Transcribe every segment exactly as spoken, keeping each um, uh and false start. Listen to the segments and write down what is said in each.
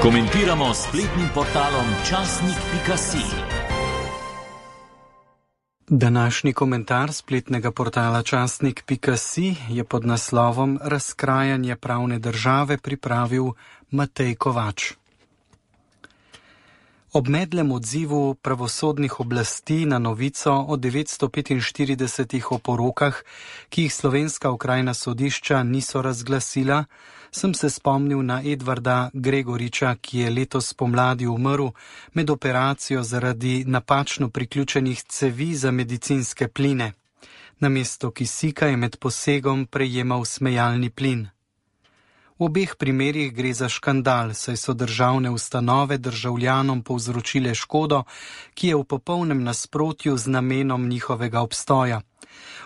Komentiramo s spletnim portalom časnik pika si. Današnji komentar spletnega portala časnik pika si je pod naslovom Razkrajanje pravne države pripravil Matej Kovač. Ob medlem odzivu pravosodnih oblasti na novico o devetsto petinštiridesetih oporokah, ki jih slovenska okrajna sodišča niso razglasila, sem se spomnil na Edvarda Gregoriča, ki je letos pomladi umrl med operacijo zaradi napačno priključenih cevi za medicinske pline. Namesto kisika je med posegom prejemal smejalni plin. V obeh primerih gre za škandal, saj so državne ustanove državljanom povzročile škodo, ki je v popolnem nasprotju z namenom njihovega obstoja.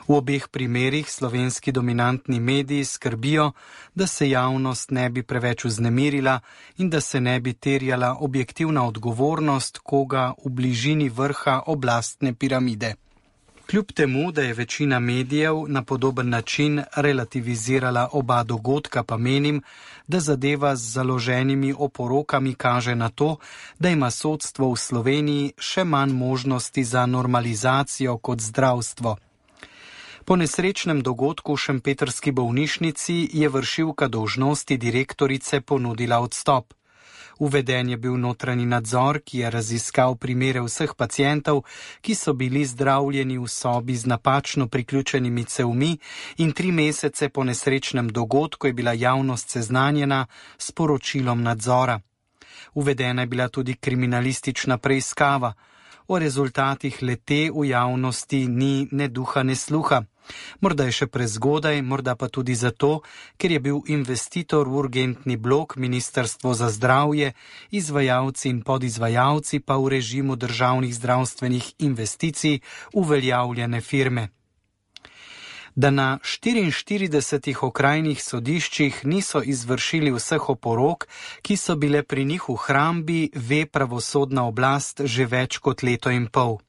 V obeh primerih slovenski dominantni mediji skrbijo, da se javnost ne bi preveč vznemirila in da se ne bi terjala objektivna odgovornost koga v bližini vrha oblastne piramide. Kljub temu, da je večina medijev na podoben način relativizirala oba dogodka, pa menim, da zadeva z založenimi oporokami kaže na to, da ima sodstvo v Sloveniji še manj možnosti za normalizacijo kot zdravstvo. Po nesrečnem dogodku v šempetrski bolnišnici je vršilka dolžnosti direktorice ponudila odstop. Uveden je bil notranji nadzor, ki je raziskal primere vseh pacientov, ki so bili zdravljeni v sobi z napačno priključenimi cevmi, in tri mesece po nesrečnem dogodku je bila javnost seznanjena s poročilom nadzora. Uvedena je bila tudi kriminalistična preiskava. O rezultatih le-te v javnosti ni ne duha ne sluha. Morda je še prezgodaj, morda pa tudi zato, ker je bil investitor v urgentni blok Ministrstvo za zdravje, izvajalci in podizvajalci pa v režimu državnih zdravstvenih investicij uveljavljene firme. Da na štiriinštiridesetih okrajnih sodiščih niso izvršili vseh oporok, ki so bile pri njih v hrambi, ve pravosodna oblast že več kot leto in pol.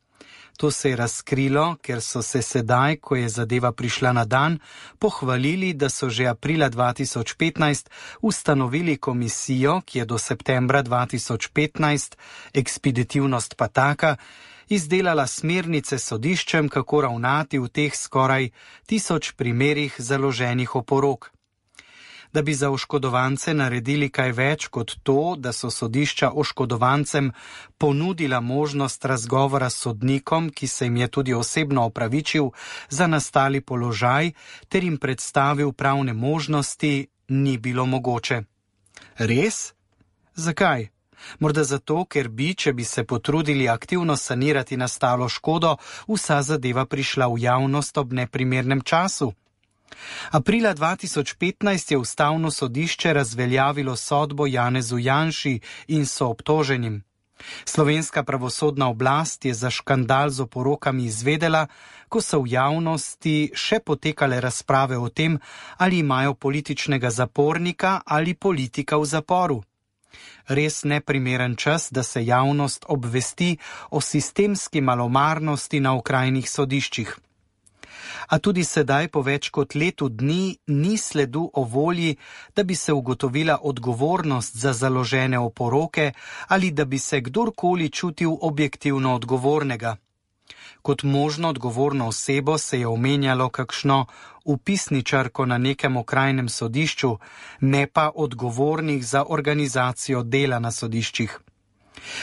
To se je razkrilo, ker so se sedaj, ko je zadeva prišla na dan, pohvalili, da so že aprila dva tisoč petnajst ustanovili komisijo, ki je do septembra dva tisoč petnajst, ekspeditivnost pa taka, izdelala smernice sodiščem, kako ravnati v teh skoraj tisoč primerih založenih oporok. Da bi za oškodovance naredili kaj več kot to, da so sodišča oškodovancem ponudila možnost razgovora s sodnikom, ki se jim je tudi osebno opravičil za nastali položaj, ter jim predstavil pravne možnosti, ni bilo mogoče. Res? Zakaj? Morda zato, ker bi, če bi se potrudili aktivno sanirati nastalo škodo, vsa zadeva prišla v javnost ob neprimernem času. Aprila dva tisoč petnajst je ustavno sodišče razveljavilo sodbo Janezu Janši in soobtoženim. Slovenska pravosodna oblast je za škandal z oporokami izvedela, ko so v javnosti še potekale razprave o tem, ali imajo političnega zapornika ali politika v zaporu. Res neprimeren čas, da se javnost obvesti o sistemski malomarnosti na okrajnih sodiščih. A tudi sedaj, po več kot letu dni, ni sledu o volji, da bi se ugotovila odgovornost za založene oporoke ali da bi se kdorkoli čutil objektivno odgovornega. Kot možno odgovorno osebo se je omenjalo kakšno vpisničarko na nekem okrajnem sodišču, ne pa odgovornih za organizacijo dela na sodiščih.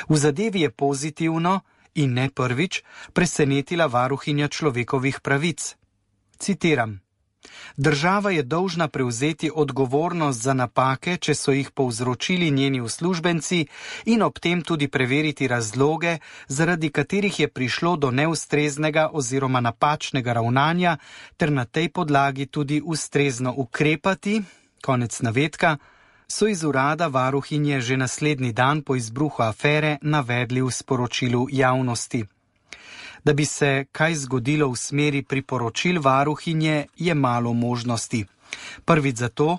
V zadevi je pozitivno in ne prvič presenetila varuhinja človekovih pravic. Citiram: Država je dolžna prevzeti odgovornost za napake, če so jih povzročili njeni uslužbenci, in ob tem tudi preveriti razloge, zaradi katerih je prišlo do neustreznega oziroma napačnega ravnanja, ter na tej podlagi tudi ustrezno ukrepati, konec navedka, so iz urada varuhinje že naslednji dan po izbruhu afere navedli v sporočilu javnosti. Da bi se kaj zgodilo v smeri priporočil varuhinje, je malo možnosti. Prvič zato,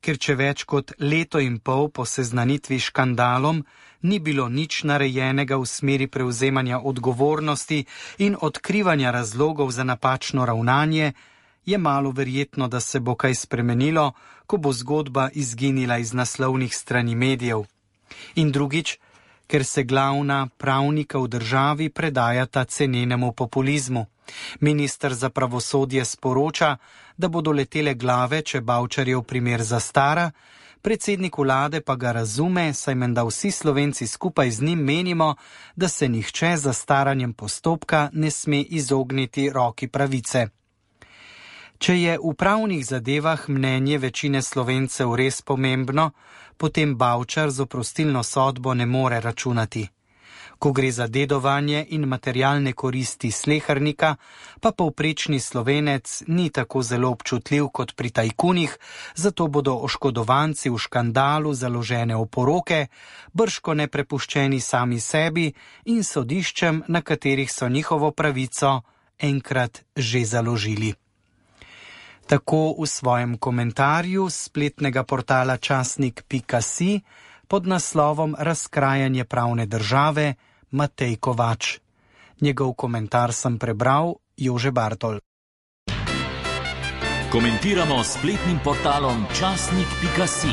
ker če več kot leto in pol po seznanitvi škandalom ni bilo nič narejenega v smeri prevzemanja odgovornosti in odkrivanja razlogov za napačno ravnanje, je malo verjetno, da se bo kaj spremenilo, ko bo zgodba izginila iz naslovnih strani medijev. In drugič, ker se glavna pravnika v državi predajata cenenemu populizmu. Minister za pravosodje sporoča, da bodo letele glave, če Bavčarjev primer zastara, predsednik vlade pa ga razume, saj menda vsi Slovenci skupaj z njim menimo, da se nihče za staranjem postopka ne sme izogniti roki pravice. Če je v pravnih zadevah mnenje večine Slovencev res pomembno, potem Bavčar z oprostilno sodbo ne more računati. Ko gre za dedovanje in materialne koristi slehernika, pa povprečni Slovenec ni tako zelo občutljiv kot pri tajkunih, zato bodo oškodovanci v škandalu založene oporoke bržko neprepuščeni sami sebi in sodiščem, na katerih so njihovo pravico enkrat že založili. Tako v svojem komentarju spletnega portala časnik pika si pod naslovom Razkrajanje pravne države Matej Kovač. Njegov komentar sem prebral Jože Bartol. Komentiramo spletnim portalom časnik pika si.